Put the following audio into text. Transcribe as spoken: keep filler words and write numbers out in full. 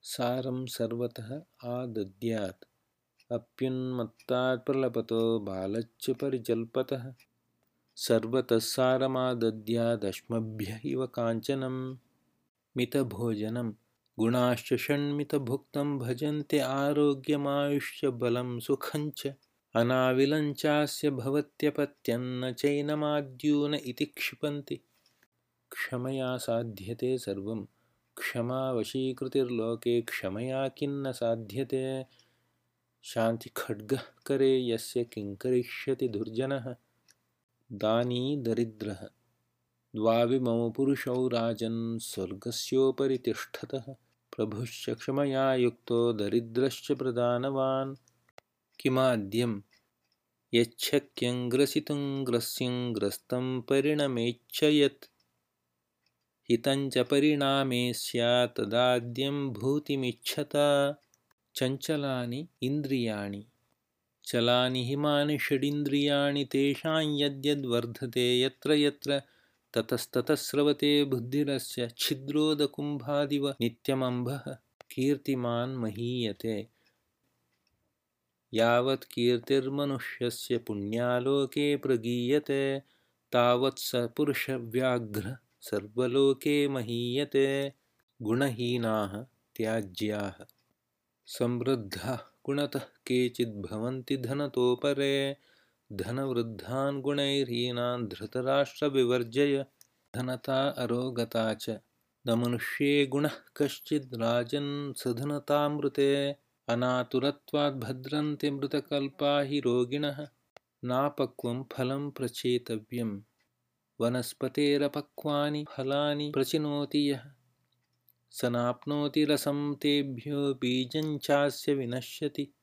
सारं सर्वतः आदद्यात् अप्युन्मत्तात् प्रलपतो बालच्च परिजल्पतः सर्वतः सारमादद्यादश्मभ्य इव काञ्चनं मितभोजनं गुणाश्च षण्मितभुक्तं भजन्ते आरोग्यमायुष्यबलं सुखञ्च अनाविलञ्चास्य भवत्यपत्यं न चैनमाद्यून इति क्षिपन्ति क्षमया साध्यते सर्वं क्षमावशीकृतिर्लोके क्षमया किन्न साध्यते शान्तिखड्गः करे यस्य किं करिष्यति दुर्जनः दानी दरिद्रः द्वाविमौ पुरुषौ राजन् स्वर्गस्योपरि तिष्ठतः प्रभुश्च क्षमया युक्तो दरिद्रश्च प्रदानवान् किमाद्यं यच्छक्यं ग्रसितुं ग्रस्यं ग्रस्तं परिणमेच्छ यत् हितञ्च परिणामे स्यात् तदाद्यं भूतिमिच्छता चञ्चलानि इन्द्रियाणि चलानि हिमानि षडिन्द्रियाणि तेषां यद्यद्वर्धते यत्र यत्र ततस्ततः स्रवते बुद्धिरस्य छिद्रोदकुम्भादिव नित्यमम्भः कीर्तिमान् महीयते यावत् कीर्तिर्मनुष्यस्य पुण्यालोके प्रगीयते तावत् स पुरुषव्याघ्रः सर्वलोके महीयते गुणहीनाः त्याज्याः समृद्धाः गुणतः केचिद्भवन्ति धनतोपरे धनवृद्धान् गुणैर्हीनान् धृतराष्ट्रविवर्जय धनता अरोगता च न मनुष्ये गुणः कश्चिद् राजन् सधनतामृते अनातुरत्वाद् भद्रन्ते मृतकल्पा हि रोगिणः नापक्वं फलं प्रचेतव्यं वनस्पतेरपक्वानि फलानि प्रचिनोति यः स नाप्नोति रसं तेभ्यो बीजं चास्य विनश्यति